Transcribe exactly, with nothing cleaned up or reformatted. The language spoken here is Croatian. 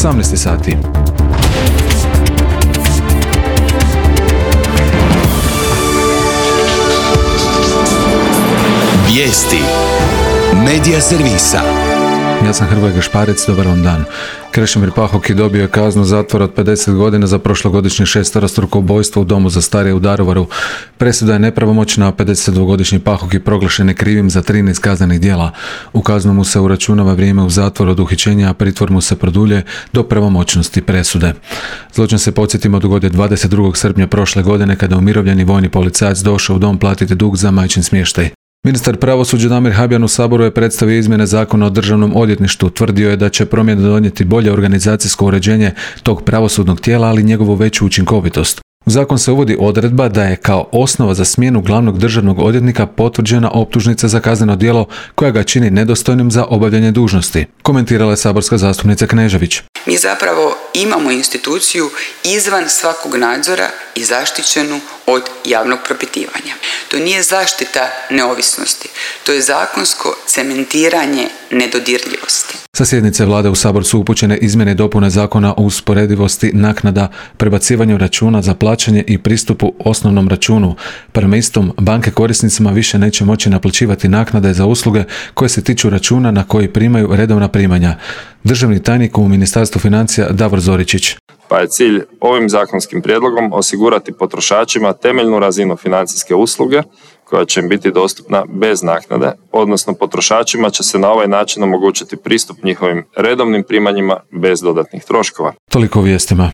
osamnaest sati. Vijesti Medija servisa. Ja sam Hrvoje Gašparec, dobar vam dan. Krešimir Pahoki dobio je kaznu zatvora od pedeset godina za prošlogodišnje šesterostruko ubojstvo u domu za starije u Daruvaru. Presuda je nepravomoćna, a pedesetdvogodišnji Pahoki proglašen je krivim za trinaest kaznenih djela. U kaznu mu se uračunava vrijeme u zatvoru od uhićenja, a pritvor mu se produljuje do pravomoćnosti presude. Zločin, se podsjetimo, dogodio dvadeset drugog srpnja prošle godine kada je umirovljeni vojni policajac došao u dom platiti dug za majčin smještaj. Ministar pravosuđa Damir Habijan u Saboru je predstavio izmjene Zakona o državnom odvjetništvu. Tvrdio je da će promjene donijeti bolje organizacijsko uređenje tog pravosudnog tijela, ali njegovu veću učinkovitost. U zakon se uvodi odredba da je kao osnova za smjenu glavnog državnog odvjetnika potvrđena optužnica za kazneno djelo koja ga čini nedostojnim za obavljanje dužnosti, komentirala je saborska zastupnica Knežević. Mi zapravo imamo instituciju izvan svakog nadzora i zaštićenu od javnog propitivanja. To nije zaštita neovisnosti, to je zakonsko cementiranje nedodirljivosti. Sa sjednice vlade u Sabor su upućene izmjene i dopune Zakona o usporedivosti naknada, prebacivanju računa za plaćanje i pristupu osnovnom računu. Prema istom, banke korisnicima više neće moći naplaćivati naknade za usluge koje se tiču računa na koji primaju redovna primanja. Državni tajnik u Ministarstvu financija Davor Zoričić. Pa je cilj ovim zakonskim prijedlogom osigurati potrošačima temeljnu razinu financijske usluge koja će im biti dostupna bez naknade, odnosno potrošačima će se na ovaj način omogućiti pristup njihovim redovnim primanjima bez dodatnih troškova. Toliko o vijestima.